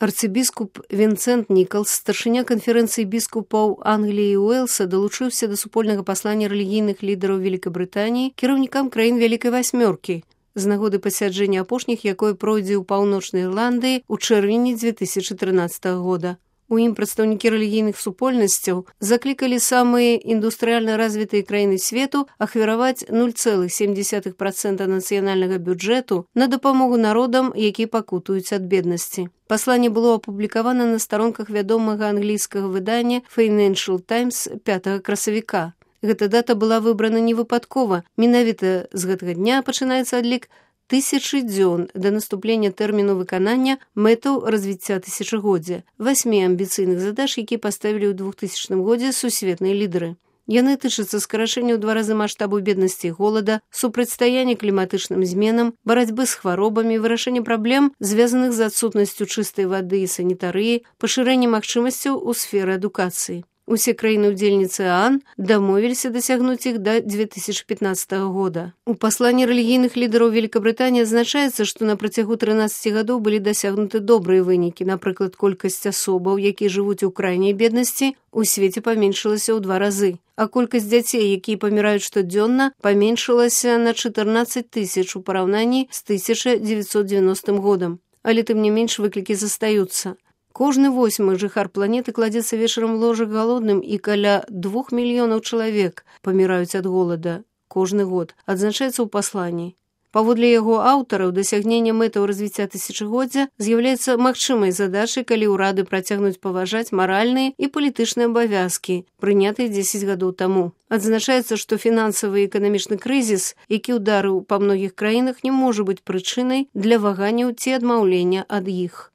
Арцыбіскуп Вінсент Нікалс, старшыня канферэнцыі біскупаў Англіі і Уэльса, далучыўся да супольнага паслання рэлігійных лідараў Вялікабрытаніі кіраўнікам краін Вялікай Васьмёркі з нагоды пасяджэння апошніх, якое пройдзе ў Паўночнай Ірландыі ў чэрвені 2013 года. У ім прадстаўнікі рэлігійных супольнасцяў заклікалі самыя індустрыяльна развітыя краіны свету ахвяраваць 0,7% нацыянальнага бюджэту на дапамогу народам, які пакутуюць ад беднасці. Пасланне было апублікавана на старонках вядомага англійскага выдання Financial Times 5 красавіка. Гэта дата была выбрана не выпадкова. Менавіта з гэтага дня пачынаецца адлік 1000 дзён да наступлення тэрміну выканання мэтаў развіцця тысячагоддзя, 8 амбіцыйных задач, якія паставілі ў 2000 годзе сусветныя лідары. Яны тычацца скарачэння ў 2 разы маштабу беднасці і голада, супрацьстаяння кліматычным зменам, барацьбы з хваробамі, вырашэння праблем, звязаных з адсутнасцю чыстай вады і санітарыі, пашырэння магчымасцяў у сферы адукацыі. Усе краіны-удзельніцы ААН дамовіліся дасягнуць іх да 2015 года. У пасланні рэлігійных лідараў Великабрытаніі адзначаецца, што на працягу 13 гадоў былі дасягнуты добрыя вынікі. Напрыклад, колькасць асобаў, якія жывуць у крайняй беднасці, у свеце паменшылася ў 2 разы, а колькасць дзяцей, якія паміраюць штодзённа, паменшылася на 14 000 у параўнанні з 1990 годам. Але тым не менш выклікі застаюцца. Кожны 8-й жыхар планеты кладзецца вечарам у ложак галодным, і каля 2 мільёнаў чалавек паміраюць ад голада кожны год, адзначаецца ў пасланні. Паводле яго аўтараў, дасягнення мэтаў развіцця тысячагоддзя з'яўляецца магчымай задачай, калі ўрады працягнуць паважаць маральныя і палітычныя абавязкі, прынятыя 10 гадоў таму. Адзначаецца, што фінансавы і эканамічны крызіс, які ўдарыў па многіх краінах, не можа быць прычынай для ваганняў ці адмаўлення ад іх.